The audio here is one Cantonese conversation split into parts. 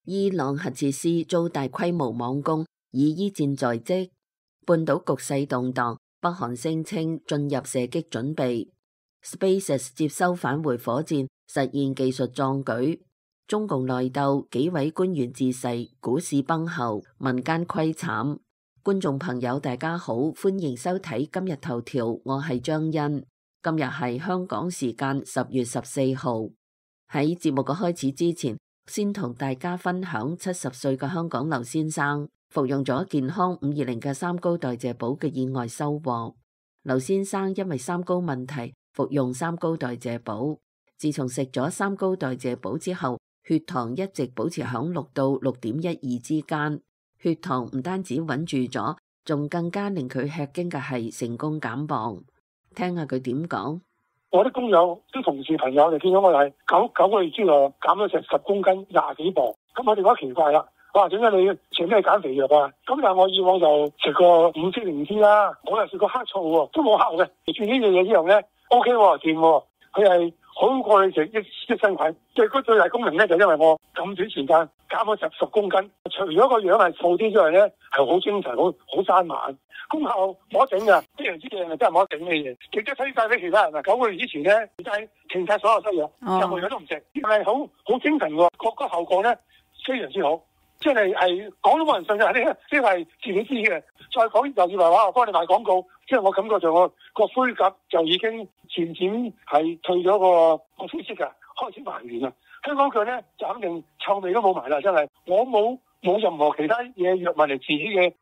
伊朗核設施遭大規模網攻，以伊戰在即。半島局勢動盪，北韓聲稱進入射擊準備。SpaceX 接收返回火箭，實現技術壯舉。中共內鬥，幾位官員致逝，股市崩後，民間虧慘。觀眾朋友大家好，歡迎收睇今日頭條，我係張欣。今日係香港時間10月14號。喺節目嘅開始之前，先同大家分享70歲嘅香港劉先生服用咗健康520嘅三高代謝寶嘅意外收穫。劉先生因為三高問題服用三高代謝寶，自從食咗三高代謝寶之後，血糖一直保持響6到6.12之間。血糖唔單止穩住咗，仲更加令佢吃驚嘅係成功減磅。聽下佢點講。我啲工友、啲同事朋友就見到我係九個月之內減咗成10公斤，20幾磅。咁我哋覺得奇怪啦，哇！點解你食咩減肥藥啊？咁但係我以往就食過5色靈芝啦，我又食過黑醋喎，都冇效嘅。食住呢樣嘢之後咧 ，OK 喎，掂喎，佢係好過你食益生菌。最大功能咧就因為我咁短時間減咗10公斤，除咗個樣係瘦啲之外咧，係好精神、好生猛。功效冇得頂㗎，非常之正啊！真係冇得頂嘅嘢，亦都推介俾其他人啊！9個月之前咧，就係停晒所有西藥，任何嘢都唔食，係好精神喎，個效果咧非常之好，即係講都冇人信㗎，呢個係自己知嘅。再講又以為話我幫你賣廣告，即係我感覺上我個灰甲就已經漸漸係退咗個灰色㗎，開始還原啦。香港腳咧就肯定臭味都冇埋啦，真係我冇任何其他嘢藥物嚟治嘅。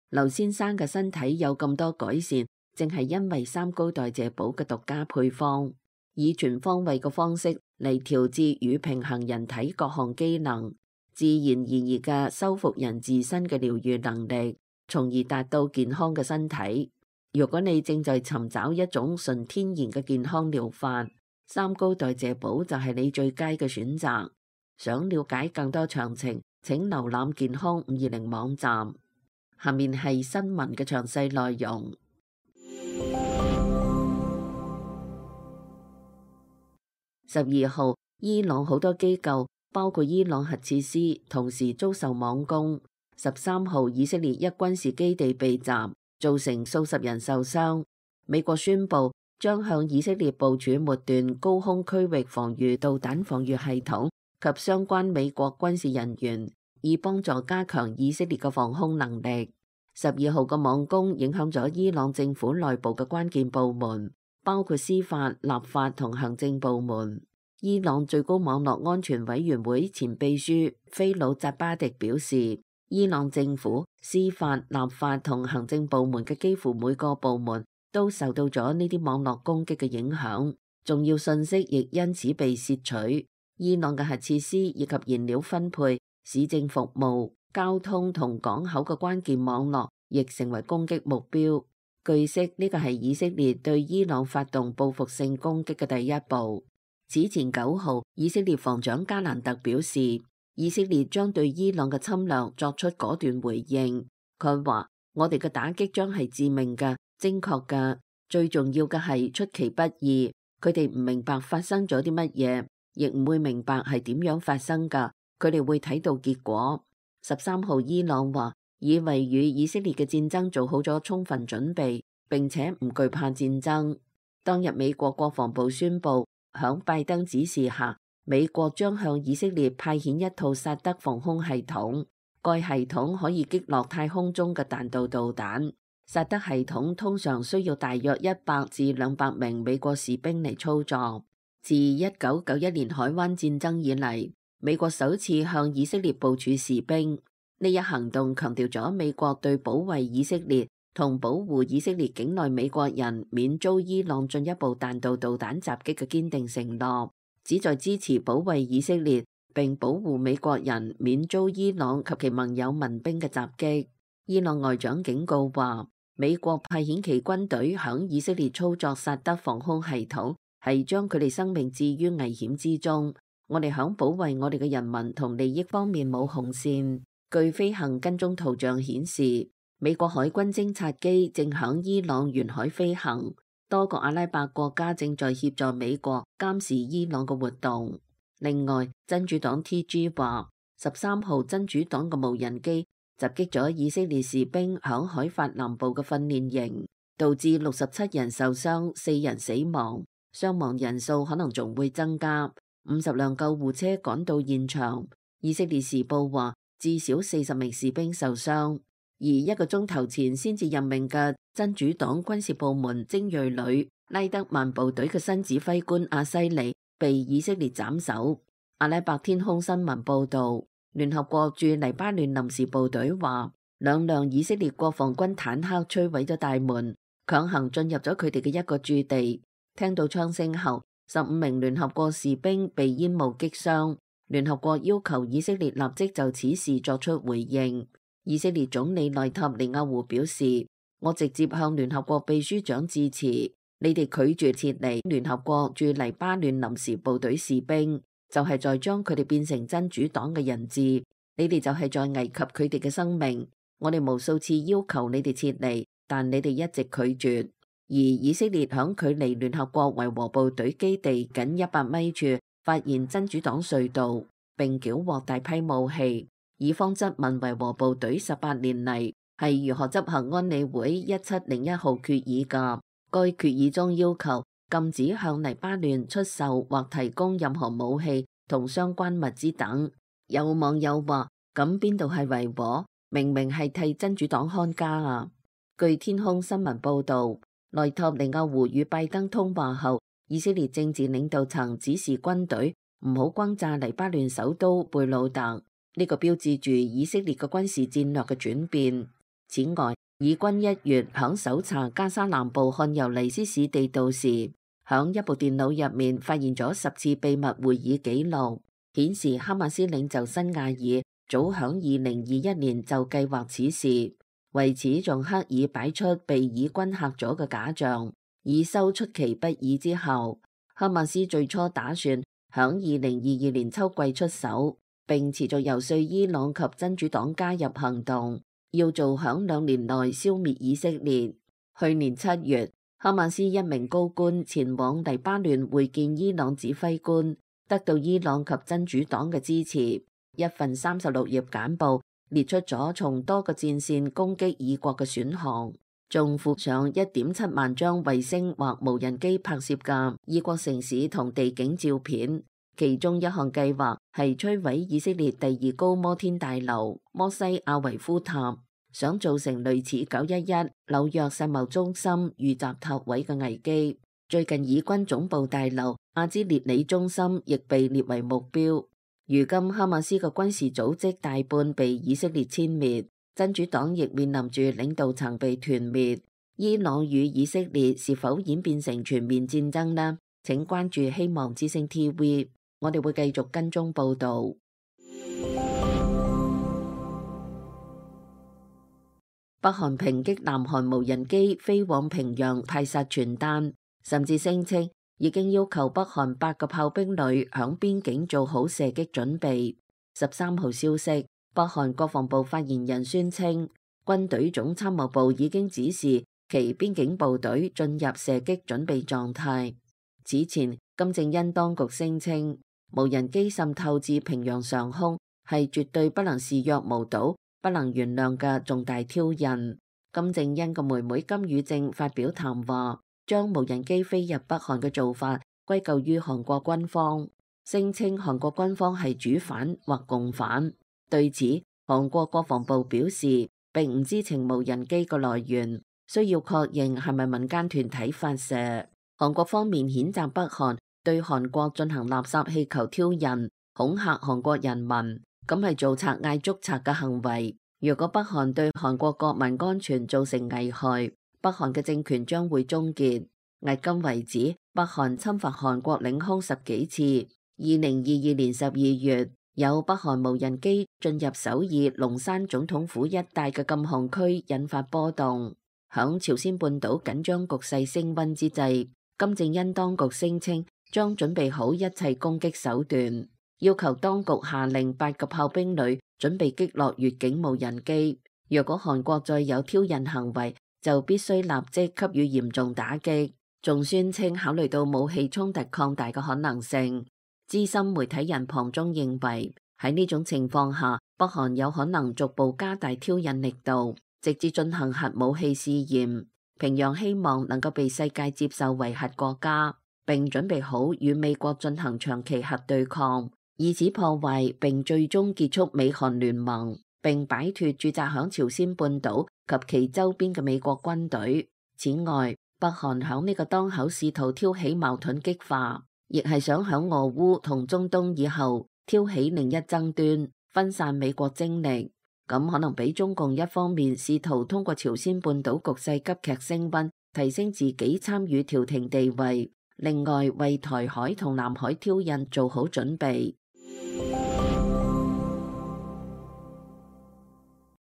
劉先生嘅身體有咁多改善，正係因為三高代謝寶嘅獨家配方，以全方位嘅方式嚟調節與平衡人體各項機能，自然而然嘅修復人自身嘅療愈能力，從而達到健康嘅身體。如果你正在尋找一種純天然嘅健康療法，三高代謝寶就係你最佳嘅選擇。想了解更多詳情，請瀏覽健康520網站。下面係新聞嘅詳細內容。12號，伊朗好多機構，包括伊朗核設施，同時遭受網攻。13號，以色列一軍事基地被襲，造成數十人受傷。美國宣布將向以色列部署末段高空區域防禦導彈防禦系統及相關美國軍事人員，以幫助加強以色列嘅防空能力。12號嘅網攻影響咗伊朗政府內部嘅關鍵部門，包括司法、立法同行政部門。伊朗最高網絡安全委員會前秘書菲魯扎巴迪表示，伊朗政府、司法、立法同行政部門嘅幾乎每個部門都受到咗呢啲網絡攻擊嘅影響，重要信息亦因此被竊取。伊朗嘅核設施以及燃料分配、市政服務、交通同港口嘅關鍵網絡亦成為攻擊目標。據悉，呢個係以色列對伊朗發動報復性攻擊嘅第一步。此前9號，以色列防長加蘭特表示，以色列將對伊朗嘅侵略作出果斷回應。佢話：我哋嘅打擊將係致命嘅、精確嘅，最重要嘅係出其不意。佢哋唔明白發生咗啲乜嘢，亦唔會明白係點樣發生㗎。佢哋會睇到結果。13號，伊朗話已為與以色列嘅戰爭做好咗充分準備，並且唔懼怕戰爭。當日美國國防部宣布，響拜登指示下，美國將向以色列派遣一套薩德防空系統，該系統可以擊落太空中嘅彈道導彈。薩德系統通常需要大約100至200名美國士兵嚟操作。自1991年海灣戰爭以嚟，美國首次向以色列部署士兵。呢一行動強調咗美國對保衛以色列同保護以色列境內美國人免遭伊朗進一步彈道導彈襲擊嘅堅定承諾，旨在支持保衛以色列並保護美國人免遭伊朗及其盟友民兵嘅襲擊。伊朗外長警告話，美國派遣其軍隊響以色列操作薩德防空系統，係將佢哋生命置於危險之中。我哋響保衛我哋嘅人民同利益方面冇紅線。據飛行跟蹤圖像顯示，美國海軍偵察機正響伊朗沿海飛行，多個阿拉伯國家正在協助美國監視伊朗嘅活動。另外，真主黨 TG 話， 13號真主黨嘅無人機襲擊咗以色列士兵響海法南部嘅訓練營，導致67人受傷，4人死亡，傷亡人數可能仲會增加。50輛救護車趕到現場。以色列時報話至少40名士兵受傷。而1個鐘頭前先至任命嘅真主黨軍事部門精銳旅拉德曼部隊嘅新指揮官阿西里被以色列斬首。阿拉伯天空新聞報道，聯合國駐黎巴嫩臨時部隊話2輛以色列國防軍坦克摧毀咗大門，強行進入咗佢哋嘅一個駐地。聽到槍聲後，15名聯合國士兵被煙霧擊傷。聯合國要求以色列立即就此事作出回應。以色列總理內塔尼亞胡表示，我直接向聯合國秘書長致辭，你哋拒絕撤離聯合國駐黎巴嫩臨時部隊士兵，就係在將佢哋變成真主黨嘅人質，你哋就係在危及佢哋嘅生命。我哋無數次要求你哋撤離，但你哋一直拒絕。而以色列響距離聯合國維和部隊基地僅100米處發現真主黨隧道，並繳獲大批武器。以方質問維和部隊18年嚟係如何執行安理會1701號決議㗎。該決議中要求禁止向黎巴嫩出售或提供任何武器同相關物資等。有網友話：咁邊度係維和？明明係替真主黨看家啊！據天空新聞報導，內塔尼亞胡與拜登通話後，以色列政治領導層指示軍隊唔好轟炸黎巴嫩首都貝魯特。呢個標誌住以色列嘅軍事戰略嘅轉變。此外，以軍1月響搜查加沙南部漢尤尼斯市地道時，響一部電腦入面發現咗10次秘密會議記錄，顯示哈馬斯領袖辛亞爾早響2021年就計劃此事，為此仲刻意擺出被以軍嚇咗嘅假象，以收出其不意之後。哈馬斯最初打算響2022年秋季出手，並持續游說伊朗及真主黨加入行動，要做響2年內消滅以色列。去年7月，哈馬斯一名高官前往黎巴嫩會見伊朗指揮官，得到伊朗及真主黨嘅支持。一份36頁簡報列出咗從多個戰線攻擊以國嘅選項，仲附上1.7萬張衛星或無人機拍攝嘅以國城市同地景照片。其中一項計劃係摧毀以色列第2高摩天大樓摩西亞維夫塔，想造成類似911紐約世貿中心遇襲塔位嘅危機。最近以軍總部大樓阿茲列里中心亦被列為目標。如今哈馬斯嘅軍事組織大半被以色列殲滅，真主黨亦面臨住領導層被團滅。伊朗與以色列是否演變成全面戰爭呢？請關注希望之聲 TV。我哋會繼續跟蹤報導。北韓抨擊南韓無人機飛往平壤派撒傳單，甚至聲稱已經要求北韓8個炮兵旅響邊境做好射擊準備。13號消息，北韓國防部發言人宣稱，軍隊總參謀部已經指示其邊境部隊進入射擊準備狀態。此前，金正恩當局聲稱，無人機滲透至平壤上空係絕對不能視若無睹、不能原諒嘅重大挑釁。金正恩嘅妹妹金與正發表談話，將無人機飛入北韓嘅做法歸咎於韓國軍方，聲稱韓國軍方係主犯或共犯。對此，韓國國防部表示並唔知情無人機嘅來源，需要確認係咪民間團體發射。韓國方面譴責北韓對韓國進行垃圾氣球挑釁，恐嚇韓國人民，咁係做賊嗌捉賊嘅行為。如果北韓對韓國國民安全造成危害，北韓嘅政權將會終結。迄今為止，北韓侵犯韓國領空10幾次。2022年12月，有北韓無人機進入首爾龍山總統府一帶嘅禁航區，引發波動。響朝鮮半島緊張局勢升溫之際，金正恩當局聲稱將準備好一切攻擊手段，要求當局下令8個炮兵旅準備擊落越境無人機。若果韓國再有挑釁行為，就必須立即給予嚴重打擊。仲宣稱考慮到武器衝突擴大嘅可能性。資深媒體人龐中認為，喺呢種情況下，北韓有可能逐步加大挑釁力度，直至進行核武器試驗。平壤希望能夠被世界接受為核國家，並準備好與美國進行長期核對抗，以此破壞並最終結束美韓聯盟，並擺脫駐紮響朝鮮半島及其周邊嘅美國軍隊。此外，北韓響呢個當口試圖挑起矛盾激化，亦係想響俄烏同中東以後挑起另一爭端，分散美國精力。咁可能俾中共一方面試圖通過朝鮮半島局勢急劇升溫，提升自己參與調停地位，另外為台海同南海挑釁做好準備。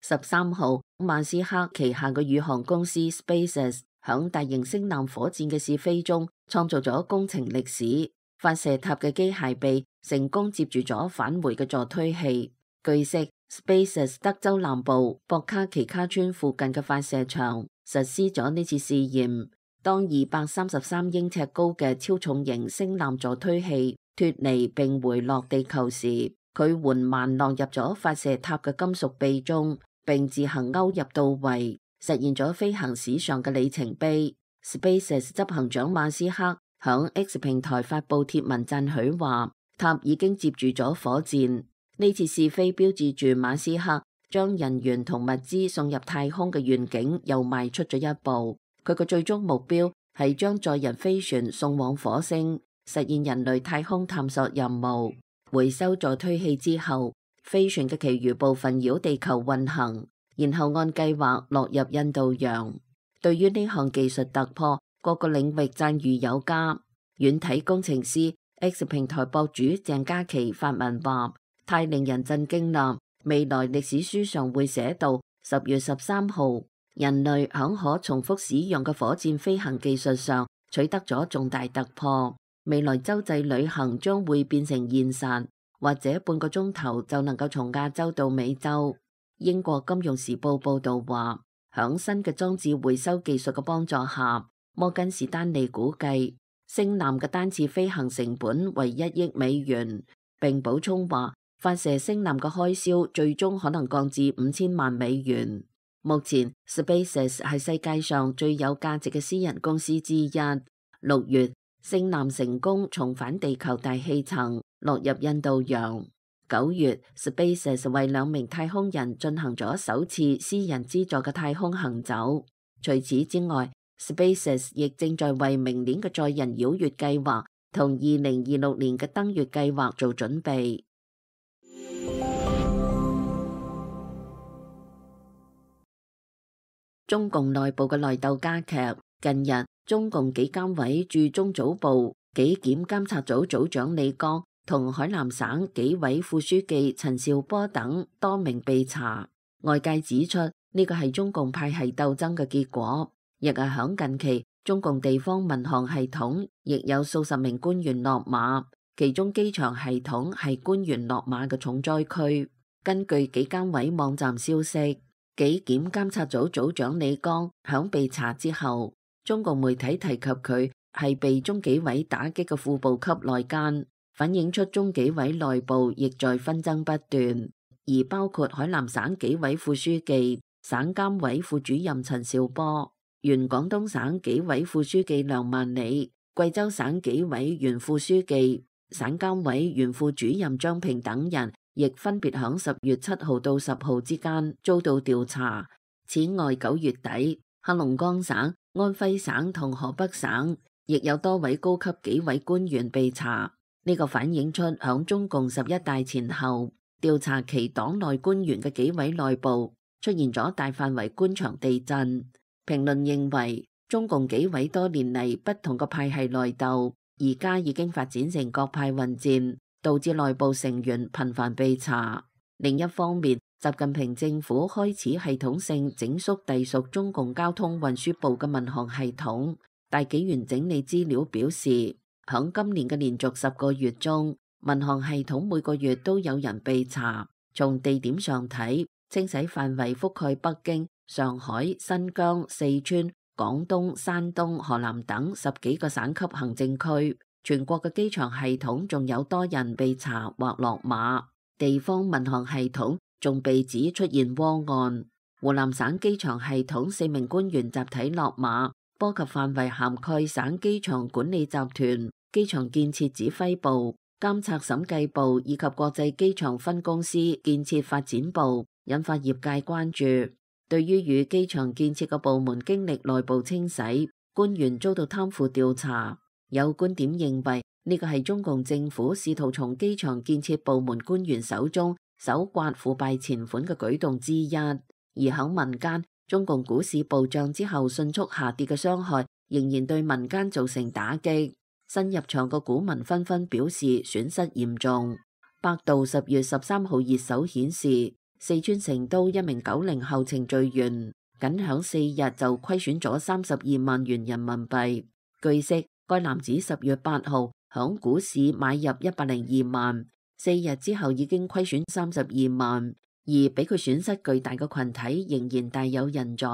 13號，馬斯克旗下嘅宇航公司 SpaceX 響大型星艦火箭嘅試飛中創造咗工程歷史，發射塔嘅機械臂成功接住咗返回嘅助推器。據悉，SpaceX 德州南部博卡奇卡村附近嘅發射場實施咗呢次試驗。當233英尺高嘅超重型星艦助推器脫離並回落地球時，佢緩慢落入咗發射塔嘅金屬臂中，並自行勾入到位，實現咗飛行史上嘅里程碑。SpaceX 執行長馬斯克響 X 平台發布貼文讚許話，塔已經接住咗火箭。呢次試飛標誌住馬斯克將人員同物資送入太空嘅願景又邁出咗一步。佢嘅最終目標係將載人飛船送往火星，實現人類太空探索任務。回收助推器之後，飛船嘅其餘部分繞地球運行，然後按計劃落入印度洋。對於呢項技術突破，各個領域讚譽有加。軟體工程師 X 平台博主鄭嘉琪發文話，太令人震驚啦！未來歷史書上會寫到10月13號，人類響可重複使用嘅火箭飛行技術上取得咗重大突破。未來洲際旅行將會變成現實，或者半個鐘頭就能夠從亞洲到美洲。英國金融時報報道話，響新嘅裝置回收技術嘅幫助下，摩根士丹利估計星艦嘅單次飛行成本為1億美元，並補充話，發射星艦嘅開銷最終可能降至5000萬美元。目前 SpaceX 係世界上最有價值嘅私人公司之一。6月，星艦成功重返地球大氣層，落入印度洋。9月 ，SpaceX 為2名太空人進行咗首次私人資助嘅太空行走。除此之外， SpaceX 亦正在為明年嘅載人繞月計劃同2026年嘅登月計劃做準備。中共內部嘅內鬥加劇。近日，中共紀監委駐中組部紀檢監察組組長李剛同海南省紀委副書記陳兆波等多名被查。外界指出，呢個係中共派系鬥爭嘅結果。亦係響近期，中共地方民航系統亦有數十名官員落馬，其中機場系統係官員落馬嘅重災區。根據紀監委網站消息，紀檢監察組組長李剛響被查之後，中共媒體提及佢係被中紀委打擊嘅副部級內奸，反映出中紀委內部亦在紛爭不斷。而包括海南省紀委副書記、省監委副主任陳兆波、原廣東省紀委副書記梁萬里、貴州省紀委原副書記、省監委原副主任張平等人，亦分別響10月7號到10號之間遭到調查。此外，9月底，黑龍江省、安徽省同河北省亦有多位高級紀委官員被查。呢個反映出響中共11大前後，調查其黨內官員嘅紀委內部出現咗大範圍官場地震。評論認為，中共紀委多年嚟不同嘅派系內鬥，而家已經發展成各派混戰，導致內部成員頻繁被查。另一方面，習近平政府開始系統性整肅隸屬中共交通運輸部嘅民航系統。大紀元整理資料表示，響今年嘅連續10個月中，民航系統每個月都有人被查。從地點上睇，清洗範圍覆蓋北京、上海、新疆、四川、廣東、山東、河南等10幾個省級行政區。全國嘅機場系統仲有多人被查或落馬。地方民航系統仲被指出現窩案。湖南省機場系統4名官員集體落馬，波及範圍涵蓋省機場管理集團、機場建設指揮部、監察審計部以及國際機場分公司建設發展部，引發業界關注。對於與機場建設嘅部門經歷內部清洗，官員遭到貪腐調查，有觀點認為呢個係中共政府試圖從機場建設部門官員手中搜刮腐敗錢款嘅舉動之一。而喺民間，中共股市暴漲之後迅速下跌嘅傷害仍然對民間造成打擊。新入場嘅股民紛紛表示損失嚴重。百度10月13號熱搜顯示，四川成都一名90後程序員僅響4日就虧損咗32萬元人民幣。據悉，該男子10月8號響股市買入102萬，4日之後已經虧損32萬。而比佢損失巨大嘅群體仍然大有人在。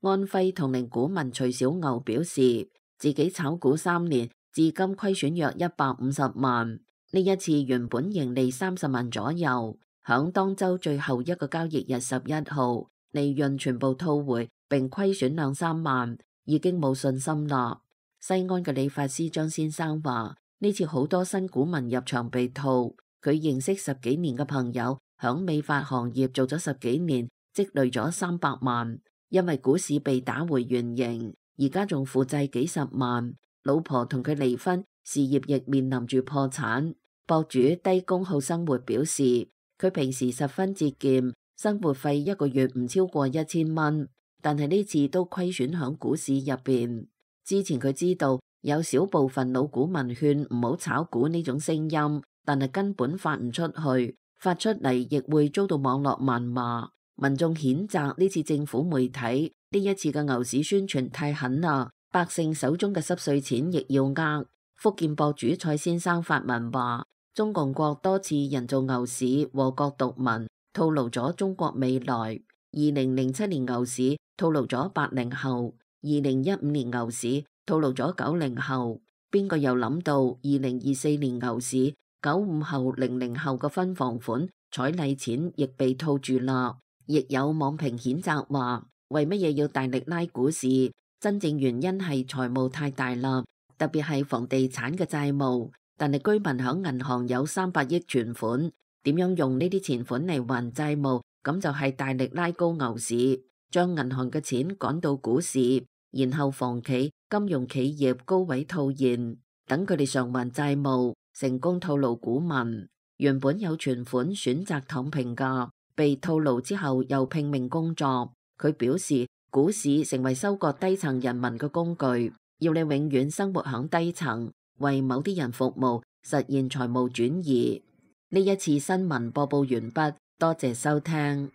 安徽同齡股民徐小牛表示，自己炒股3年，至今虧損約150萬。呢一次原本盈利30萬左右，響當周最後一個交易日11號，利潤全部吐回，並虧損2-3萬，已經冇信心啦。西安嘅理髮師張先生話，呢次好多新股民入場被套，佢認識10幾年嘅朋友，響美髮行業做咗10幾年，積累咗300萬，因為股市被打回原形，而家仲負債幾十萬。老婆同佢離婚，事業亦面臨住破產。博主低工好生活表示，佢平時十分節儉，生活費一個月唔超過1000蚊，但係呢次都虧損響股市入邊。之前佢知道有少部分老股民勸唔好炒股呢種聲音，但係根本發唔出去。發出嚟亦會遭到網絡謾罵，民眾譴責呢次政府媒體呢一次嘅牛市宣傳太狠啦，百姓手中嘅濕碎錢亦要呃。福建博主蔡先生發文話，中共國多次人造牛市禍國獨民，套路咗中國未來。2007年牛市套路咗80後，2015年牛市套路咗90後，邊個又諗到2024年牛市95後、00後嘅分房款、彩禮錢亦被套住啦。亦有網評譴責話，為乜嘢要大力拉股市？真正原因係財務太大啦，特別係房地產嘅債務。但係居民響銀行有300億存款，點樣用呢啲錢款嚟還債務？咁就係大力拉高牛市，將銀行嘅錢趕到股市，然後房企、金融企業高位套現，等佢哋償還債務。成功套路股民，原本有存款選擇躺平㗎，被套路之後又拼命工作。佢表示，股市成為收割低層人民嘅工具，要你永遠生活響低層，為某啲人服務，實現財務轉移。呢一次新聞播報完畢，多謝收聽。